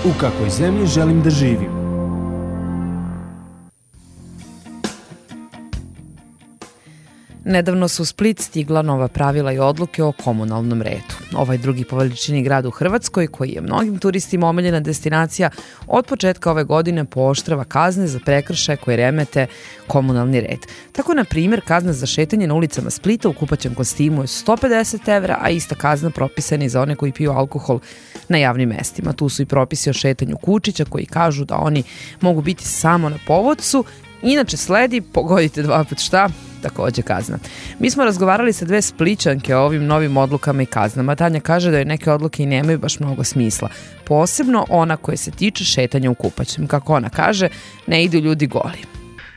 U kakvoj zemlji želim da živim? Nedavno su u Split stigla nova pravila i odluke o komunalnom redu. Ovaj drugi po veličini grad u Hrvatskoj, koji je mnogim turistima omiljena destinacija, od početka ove godine pooštrava kazne za prekršaje koje remete komunalni red. Tako, na primjer, kazna za šetanje na ulicama Splita u kupaćem kostimu je 150 evra, a ista kazna propisana i za one koji piju alkohol na javnim mestima. Tu su i propisi o šetanju kučića koji kažu da oni mogu biti samo na povodcu. Inače sledi, pogodite 2 puta šta, takođe kazna. Mi smo razgovarali sa 2 Splićanke o ovim novim odlukama i kaznama. Tanja kaže da je neke odluke i nemaju baš mnogo smisla. Posebno ona koja se tiče šetanja u kupaćem. Kako ona kaže, ne idu ljudi goli.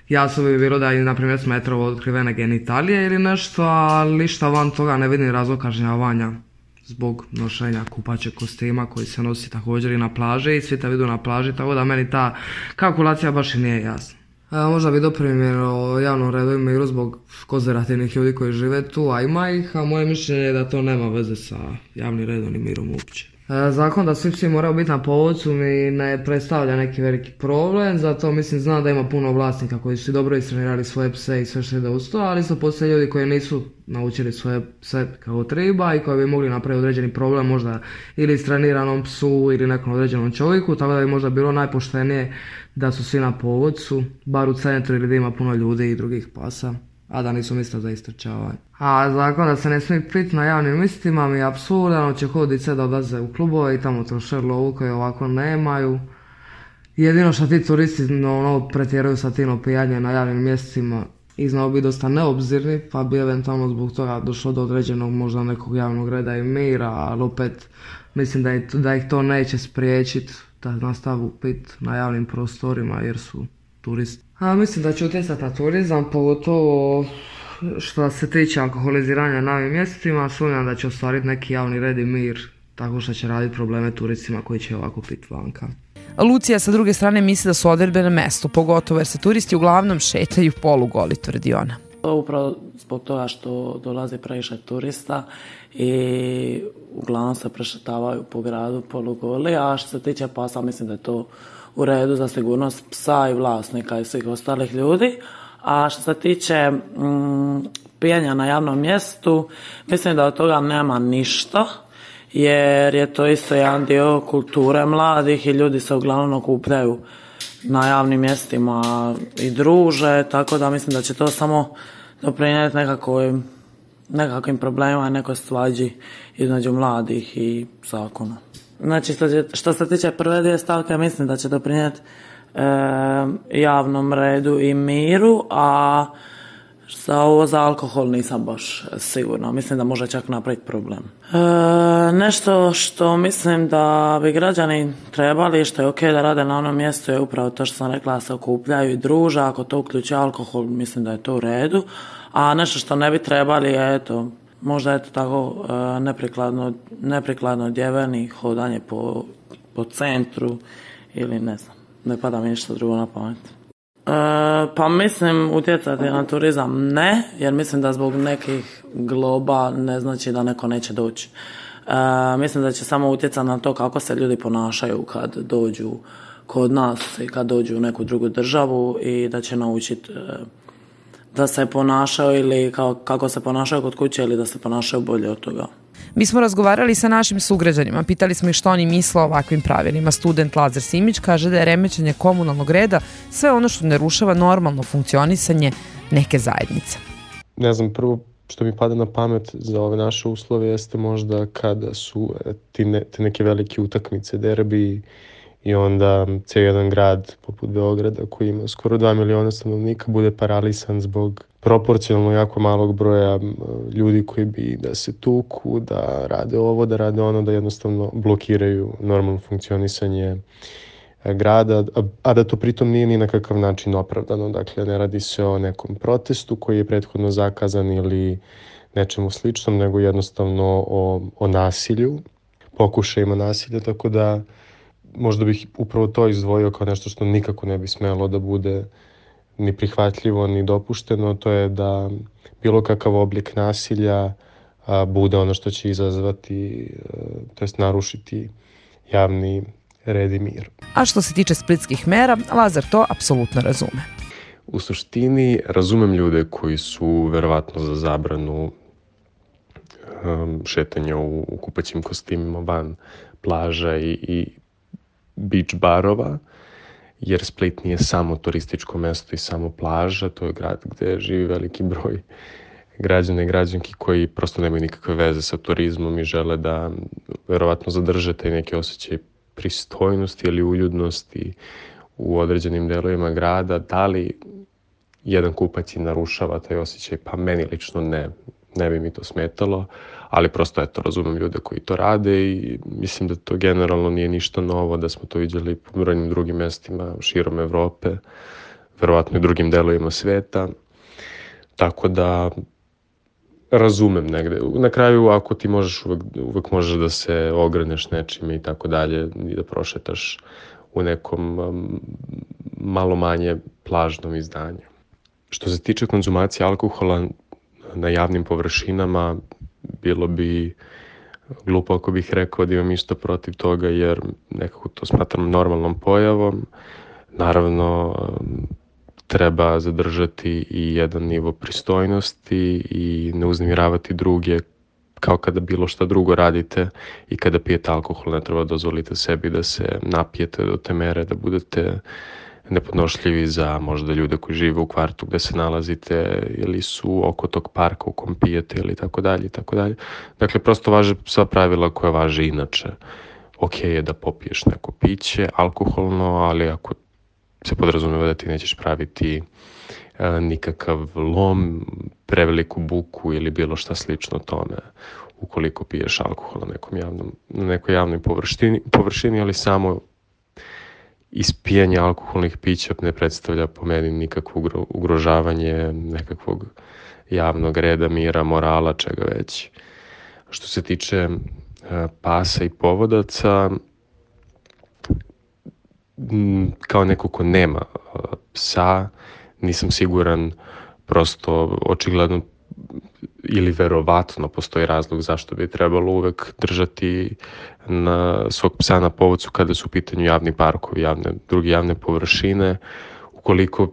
Jasno bi bilo da je, na primjer, smetrovo otkrivene genitalije ili nešto, ali ništa van toga ne vidim razlog kažnjavanja zbog nošenja kupaćeg kostima koji se nosi također i na plaži i svi te vidu na plaži, tako da meni ta kalkulacija baš i nije jasna. Možda bi doprimjer o javnom redu i miru zbog konzervativnih ljudi koji žive tu, a ima ih, a moje mišljenje je da to nema veze sa javnim redom i mirom uopće. Zakon da svi psi moraju biti na povodcu mi ne predstavlja neki veliki problem, zato znam da ima puno vlasnika koji su dobro istrenirali svoje pse i sve što ide uz to, ali su postoje ljudi koji nisu naučili svoje pse kao treba i koji bi mogli napraviti određeni problem možda ili istreniranom psu ili nekom određenom čovjeku, tako da bi možda bilo najpoštenije da su svi na povodcu, bar u centru ili da ima puno ljudi i drugih pasa, a da nisu mjesta za istrčavanje. A zakon da se ne smije piti na javnim mjestima mi je apsurdan, će dice da odlaze u klubove i tamo troše lovu koje ovako nemaju. Jedino što ti turisti pretjeraju sa tim opijanjem na javnim mjestima i znao bi dosta neobzirni, pa bi eventualno zbog toga došlo do određenog možda nekog javnog reda i mira, ali opet mislim da ih to neće spriječiti da nastavu pit na javnim prostorima jer su turisti. Mislim da će utjecati na turizam, pogotovo što se tiče alkoholiziranja na ovim mjestima, sumnjam da će ostvariti neki javni red i mir, tako što će raditi probleme turistima koji će ovako pit vanka. Lucija sa druge strane misli da su odredbe na mestu, pogotovo jer se turisti uglavnom šetaju polugoli, tvrdi ona. Upravo zbog toga što dolazi previše turista i uglavnom se prešetavaju po gradu polugoli, a što se tiče pasa mislim da je to u redu za sigurnost psa i vlasnika i svih ostalih ljudi. A što se tiče pijenja na javnom mjestu, mislim da od toga nema ništa, jer je to isto jedan dio kulture mladih i ljudi se uglavnom okupljaju na javnim mjestima i druže, tako da mislim da će to samo doprinijeti nekakvim problemima i nekoj svađi između mladih i zakona. Znači, što se tiče prve 2 stavke, mislim da će doprinijeti javnom redu i miru, a za alkohol nisam baš sigurna. Mislim da može čak napraviti problem. Nešto što mislim da bi građani trebali, što je ok da rade na onom mjestu, je upravo to što sam rekla, da se okupljaju i druže. Ako to uključuje alkohol, mislim da je to u redu. A nešto što ne bi trebali je, možda je to tako neprikladno odjeveni, hodanje po centru ili ne znam, ne pada mi ništa drugo na pamet. Pa mislim utjecati na turizam ne, jer mislim da zbog nekih globa ne znači da neko neće doći. Mislim da će samo utjecati na to kako se ljudi ponašaju kad dođu kod nas i kad dođu u neku drugu državu i da će naučiti da se ponašaju ili kako se ponašaju kod kuće ili da se ponašaju bolje od toga. Mi smo razgovarali sa našim sugrađanima, pitali smo ih što oni misle o ovakvim pravilima. Student Lazar Simić kaže da je remećenje komunalnog reda sve ono što ne rušava normalno funkcionisanje neke zajednice. Ne znam, prvo što mi pada na pamet za ove naše uslove jeste možda kada su te neke velike utakmice, derbi, i onda cijel jedan grad poput Beograda koji ima skoro 2 miliona stanovnika bude paralisan zbog proporcionalno jako malog broja ljudi koji bi da se tuku, da rade ovo, da rade ono, da jednostavno blokiraju normalno funkcionisanje grada, a da to pritom nije ni na kakav način opravdano. Dakle, ne radi se o nekom protestu koji je prethodno zakazan ili nečemu sličnom, nego jednostavno o nasilju, pokušajima nasilja, tako da možda bih upravo to izdvojio kao nešto što nikako ne bi smelo da bude ni prihvatljivo, ni dopušteno. To je da bilo kakav oblik nasilja bude ono što će izazvati, to jest narušiti javni red i mir. A što se tiče splitskih mera, Lazar to apsolutno razume. U suštini razumem ljude koji su verovatno za zabranu šetanja u kupaćim kostimima van plaža i beach barova, jer Split nije samo turističko mesto i samo plaža, to je grad gde živi veliki broj građana i građanki koji prosto nemaju nikakve veze sa turizmom i žele da verovatno zadrže taj neki osjećaj pristojnosti ili uljudnosti u određenim delovima grada. Da li jedan kupac i narušava taj osjećaj? Pa meni lično ne bi mi to smetalo, ali prosto eto, razumem ljude koji to rade i mislim da to generalno nije ništa novo, da smo to vidjeli po brojnim drugim mestima širom Evrope, verovatno i drugim delovima sveta, tako da razumem negde. Na kraju, ako ti uvek možeš da se ograneš nečime i tako dalje i da prošetaš u nekom malo manje plažnom izdanju. Što se tiče konzumacije alkohola na javnim površinama, bilo bi glupo ako bih rekao da imam išta protiv toga, jer nekako to smatram normalnom pojavom. Naravno, treba zadržati i jedan nivo pristojnosti i ne uznemiravati druge kao kada bilo šta drugo radite i kada pijete alkohol ne treba dozvoliti sebi da se napijete do te mere da budete nepodnošljivi za možda ljude koji žive u kvartu gde se nalazite ili su oko tog parka u kom pijete ili tako dalje i tako dalje. Dakle, prosto važe sva pravila koja važe inače. Ok je da popiješ neko piće, alkoholno, ali ako se podrazumeva da ti nećeš praviti nikakav lom, preveliku buku ili bilo šta slično tome ukoliko piješ alkohol na nekoj javnoj površini, ali samo ispijanje alkoholnih pića ne predstavlja po meni nikakvo ugrožavanje nekakvog javnog reda, mira, morala, čega već. Što se tiče pasa i povodaca, kao neko ko nema psa, nisam siguran, prosto očigledno ili verovatno postoji razlog zašto bi trebalo uvek držati svog psa na povodcu kada su u pitanju javni parkovi, druge javne površine. Ukoliko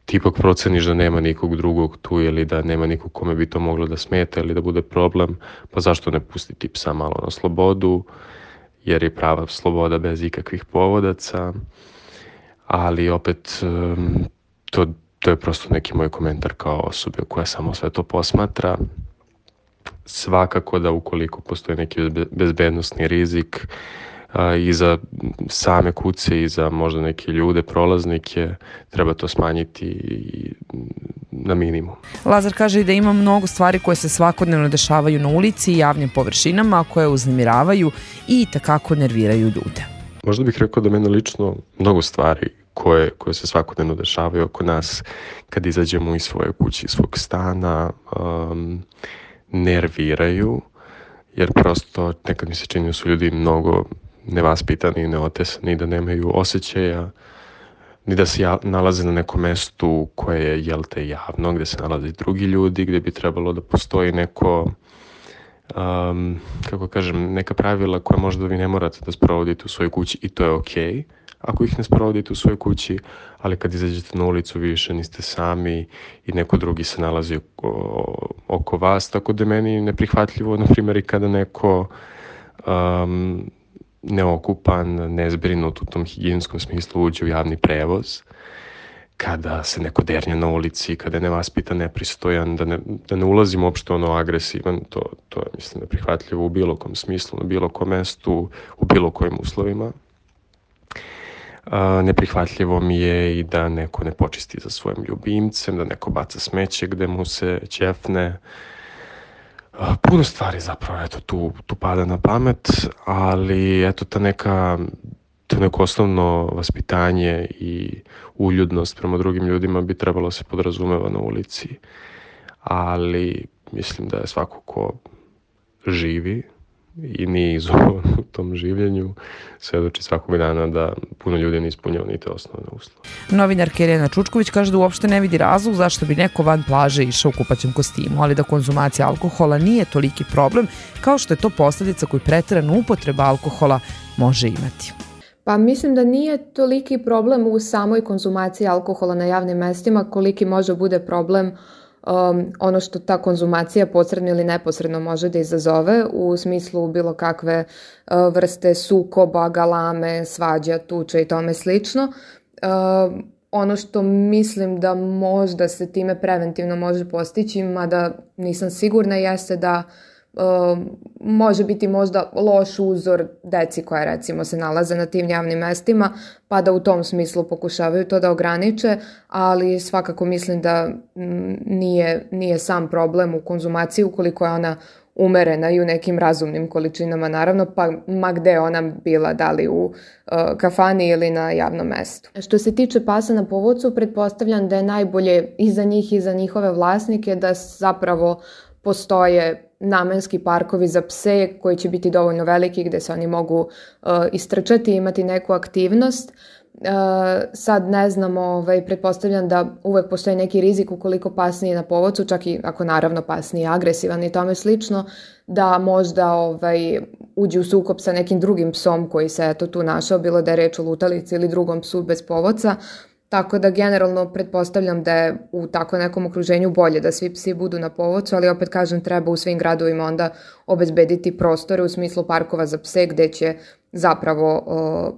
ti ipak proceniš da nema nikog drugog tu ili da nema nikog kome bi to moglo da smeta ili da bude problem, pa zašto ne pustiti psa malo na slobodu, jer je prava sloboda bez ikakvih povodaca, ali opet to je prosto neki moj komentar kao osobe koja samo sve to posmatra. Svakako da ukoliko postoji neki bezbednosni rizik i za same kuce i za možda neke ljude, prolaznike, treba to smanjiti na minimum. Lazar kaže i da ima mnogo stvari koje se svakodnevno dešavaju na ulici i javnim površinama, koje uznemiravaju i takako nerviraju ljude. Možda bih rekao da mene lično mnogo stvari koje se svakodnevno dešavaju oko nas kad izađemo iz svoje kuće, iz svog stana, nerviraju, jer prosto nekad mi se čini da su ljudi mnogo nevaspitani i neotesani, da nemaju osjećaja, ni da se nalaze na nekom mestu koje je, javno, gde se nalaze drugi ljudi, gde bi trebalo da postoji neko, neka pravila koja možda vi ne morate da sprovodite u svojoj kući i to je okej. Ako ih ne sprovodite u svojoj kući, ali kad izađete na ulicu više niste sami i neko drugi se nalazi oko vas, tako da meni neprihvatljivo, na primjer, i kada neko neokupan, nezbrinut u tom higijenskom smislu uđe u javni prevoz, kada se neko dernja na ulici, kada je nevaspitan, nepristojan, da ne ulazim uopšte agresivan, to je, mislim, neprihvatljivo u bilo kom smislu, na bilo kom mestu, u bilo kojim uslovima. Neprihvatljivo mi je i da neko ne počisti za svojim ljubimcem, da neko baca smeće gde mu se ćefne. Puno stvari zapravo tu pada na pamet, ali to neko osnovno vaspitanje i uljudnost prema drugim ljudima bi trebalo se podrazumeva na ulici. Ali mislim da je svako ko živi i nije izovan u tom življenju svedoči svakog dana da puno ljudi ne ispunjava ni te osnovne uslove. Novinarka Irena Čučković kaže da uopšte ne vidi razlog zašto bi neko van plaže išao u kupaćem kostimu, ali da konzumacija alkohola nije toliki problem kao što je to posljedica koju preterana upotreba alkohola može imati. Pa mislim da nije toliki problem u samoj konzumaciji alkohola na javnim mestima koliki može bude problem ono što ta konzumacija posredno ili neposredno može da izazove u smislu bilo kakve vrste sukoba, galame, svađa, tuče i tome slično. Ono što mislim da možda se time preventivno može postići, mada nisam sigurna, jeste da može biti možda loš uzor deci koja recimo se nalaze na tim javnim mestima, pa da u tom smislu pokušavaju to da ograniče, ali svakako mislim da nije sam problem u konzumaciji ukoliko je ona umerena i u nekim razumnim količinama, naravno, pa ma gde ona bila, da li u kafani ili na javnom mestu. Što se tiče pasa na povodcu, pretpostavljam da je najbolje i za njih i za njihove vlasnike da zapravo postoje namenski parkovi za pse koji će biti dovoljno veliki gde se oni mogu istrčati i imati neku aktivnost. Sad ne znam, pretpostavljam da uvek postoji neki rizik ukoliko pas nije na povodcu, čak i ako naravno pas nije agresivan i tome slično, da možda uđe u sukob sa nekim drugim psom koji se tu našao, bilo da je reč o lutalici ili drugom psu bez povodca. Tako da generalno pretpostavljam da je u tako nekom okruženju bolje da svi psi budu na povodcu, ali opet kažem treba u svim gradovima onda obezbediti prostore u smislu parkova za pse gde će zapravo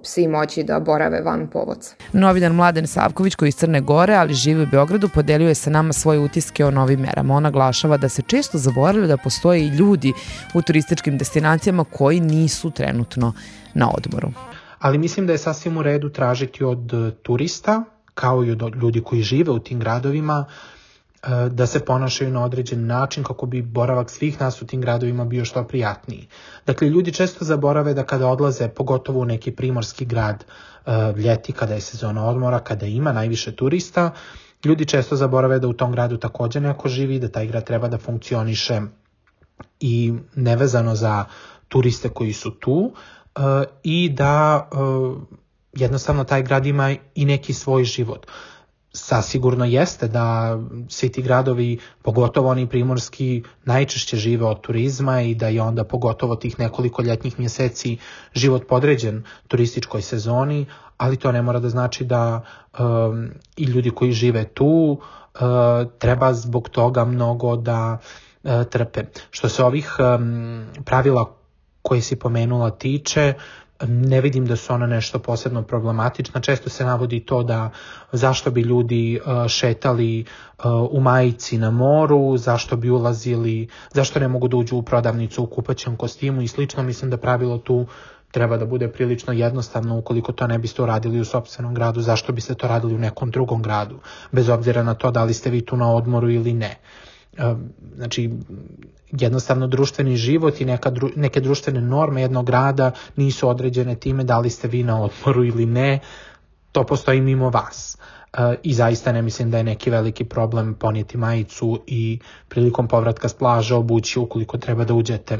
psi moći da borave van povodca. Novinar Mladen Savković, koji iz Crne Gore, ali živi u Beogradu, podelio je sa nama svoje utiske o novim merama. On naglašava da se često zaboravlja da postoje i ljudi u turističkim destinacijama koji nisu trenutno na odmoru. Ali mislim da je sasvim u redu tražiti od turista, kao i od ljudi koji žive u tim gradovima, da se ponašaju na određen način kako bi boravak svih nas u tim gradovima bio što prijatniji. Dakle, ljudi često zaborave da kada odlaze, pogotovo u neki primorski grad ljeti, kada je sezona odmora, kada ima najviše turista, ljudi često zaborave da u tom gradu također neko živi, da taj grad treba da funkcioniše i nevezano za turiste koji su tu, i da jednostavno taj grad ima i neki svoj život. Sasigurno jeste da svi ti gradovi, pogotovo oni primorski, najčešće žive od turizma i da je onda pogotovo tih nekoliko ljetnih mjeseci život podređen turističkoj sezoni, ali to ne mora da znači da i ljudi koji žive tu treba zbog toga mnogo da trpe. Što se ovih pravila koje si pomenula tiče, ne vidim da su ona nešto posebno problematična. Često se navodi to da zašto bi ljudi šetali u majici na moru, zašto bi ulazili, zašto ne mogu da uđu u prodavnicu u kupaćem kostimu i slično. Mislim da pravilo tu treba da bude prilično jednostavno. Ukoliko to ne biste uradili u sopstvenom gradu, zašto biste to radili u nekom drugom gradu, bez obzira na to da li ste vi tu na odmoru ili ne. Znači, jednostavno društveni život i neke društvene norme jednog grada nisu određene time da li ste vi na odmoru ili ne, to postoji mimo vas. I zaista ne mislim da je neki veliki problem ponijeti majicu i prilikom povratka s plaže obući ukoliko treba da uđete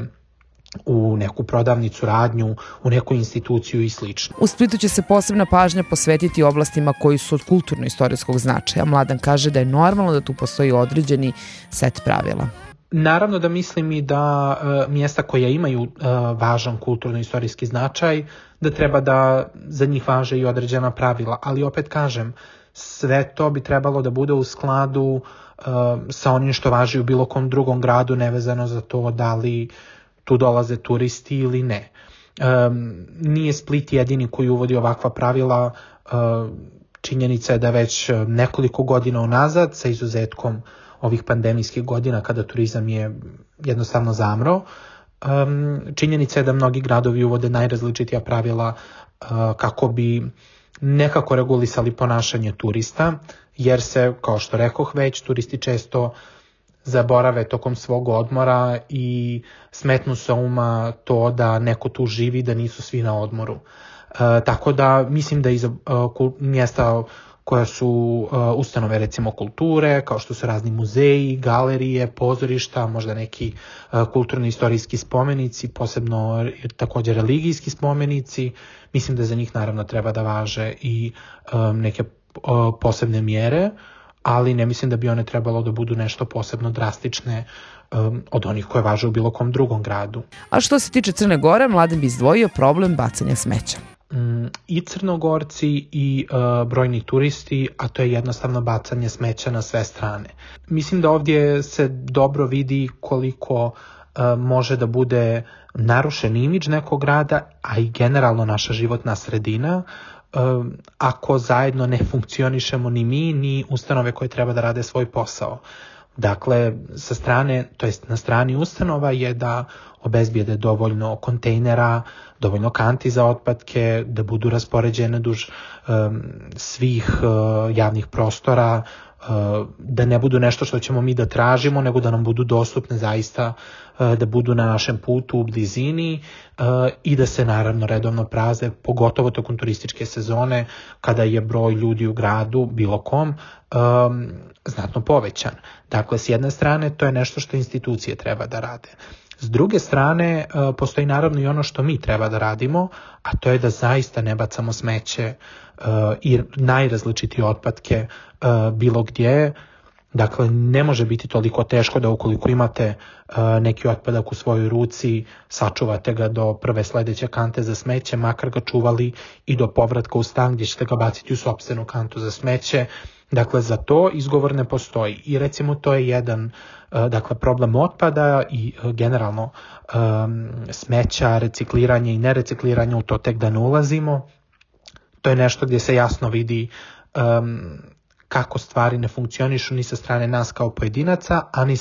u neku prodavnicu, radnju, u neku instituciju i slično. U Splitu će se posebna pažnja posvetiti oblastima koji su od kulturno-istorijskog značaja. Mladen kaže da je normalno da tu postoji određeni set pravila. Naravno da mislim i da mjesta koja imaju važan kulturno-istorijski značaj, da treba da za njih važe i određena pravila, ali opet kažem, sve to bi trebalo da bude u skladu sa onim što važi u bilo kom drugom gradu, nevezano za to da li tu dolaze turisti ili ne. Nije Split jedini koji uvodi ovakva pravila. Činjenica je da već nekoliko godina unazad, sa izuzetkom ovih pandemijskih godina kada turizam je jednostavno zamro, činjenica je da mnogi gradovi uvode najrazličitija pravila kako bi nekako regulisali ponašanje turista, jer se, kao što rekoh već, turisti često zaborave tokom svog odmora i smetnu sa uma to da neko tu živi, da nisu svi na odmoru. Tako da mislim da iz mjesta koja su ustanove recimo kulture, kao što su razni muzeji, galerije, pozorišta, možda neki kulturno-istorijski spomenici, posebno također religijski spomenici, mislim da za njih naravno treba da važe i neke posebne mjere, ali ne mislim da bi one trebalo da budu nešto posebno drastične od onih koje važe u bilo kom drugom gradu. A što se tiče Crne Gore, Mladen bi izdvojio problem bacanja smeća. i Crnogorci i brojni turisti, a to je jednostavno bacanje smeća na sve strane. Mislim da ovdje se dobro vidi koliko može da bude narušen imidž nekog grada, a i generalno naša životna sredina, ako zajedno ne funkcionišemo ni mi, ni ustanove koje treba da rade svoj posao. Dakle, sa strane, to jest na strani ustanova je da obezbijede dovoljno kontejnera, dovoljno kanti za otpadke, da budu raspoređene duž svih javnih prostora, da ne budu nešto što ćemo mi da tražimo, nego da nam budu dostupne zaista, da budu na našem putu u blizini i da se naravno redovno prazne, pogotovo tokom turističke sezone kada je broj ljudi u gradu, bilo kom, znatno povećan. Dakle, s jedne strane to je nešto što institucije treba da rade. S druge strane, postoji naravno i ono što mi treba da radimo, a to je da zaista ne bacamo smeće i najrazličitije otpadke bilo gdje. Dakle, ne može biti toliko teško da ukoliko imate neki otpadak u svojoj ruci, sačuvate ga do prve sledeće kante za smeće, makar ga čuvali i do povratka u stan gdje ćete ga baciti u sopstvenu kantu za smeće. Dakle, za to izgovor ne postoji. I recimo to je jedan problem otpada i generalno smeća, recikliranje i nerecikliranje, u to tek da ne ulazimo. To je nešto gdje se jasno vidi kako stvari ne funkcionišu ni sa strane nas kao pojedinaca, a ni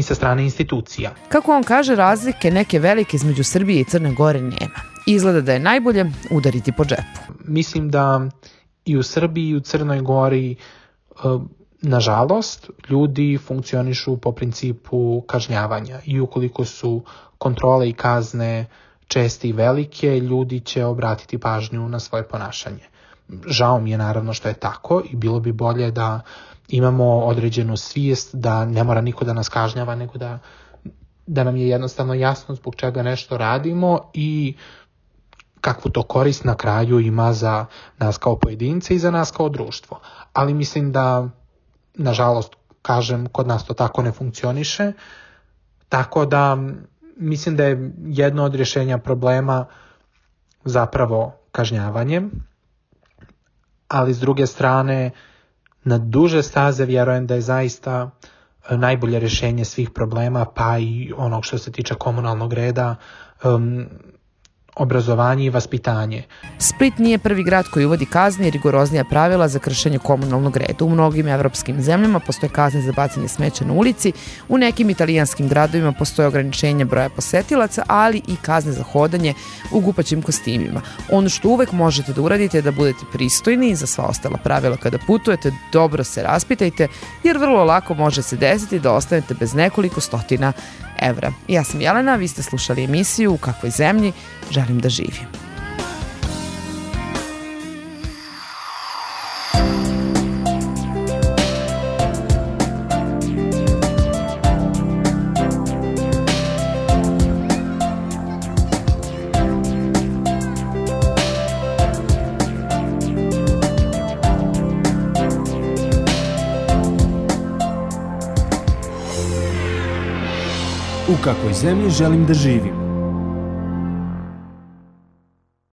sa strane institucija. Kako on kaže, razlike neke velike između Srbije i Crne Gore nema. Izgleda da je najbolje udariti po džepu. Mislim da i u Srbiji i u Crnoj Gori, nažalost, ljudi funkcionišu po principu kažnjavanja i ukoliko su kontrole i kazne česte i velike, ljudi će obratiti pažnju na svoje ponašanje. Žao mi je naravno što je tako i bilo bi bolje da imamo određenu svijest da ne mora niko da nas kažnjava, nego da nam je jednostavno jasno zbog čega nešto radimo i kakvu to korist na kraju ima za nas kao pojedince i za nas kao društvo. Ali mislim da, nažalost, kažem, kod nas to tako ne funkcioniše, tako da mislim da je jedno od rješenja problema zapravo kažnjavanjem, ali s druge strane, na duže staze vjerujem da je zaista najbolje rješenje svih problema, pa i onog što se tiče komunalnog reda, obrazovanje i vaspitanje. Split nije prvi grad koji uvodi kazne i rigoroznija pravila za kršenje komunalnog reda. U mnogim evropskim zemljama postoje kazne za bacanje smeća na ulici, u nekim italijanskim gradovima postoje ograničenje broja posetilaca, ali i kazne za hodanje u gupaćim kostimima. Ono što uvek možete da uradite je da budete pristojni i za sva ostala pravila kada putujete, dobro se raspitajte, jer vrlo lako može se desiti da ostanete bez nekoliko stotina evra. Ja sam Jelena, vi ste slušali emisiju U kakvoj zemlji želim da živim. U kakvoj zemlji želim da živim.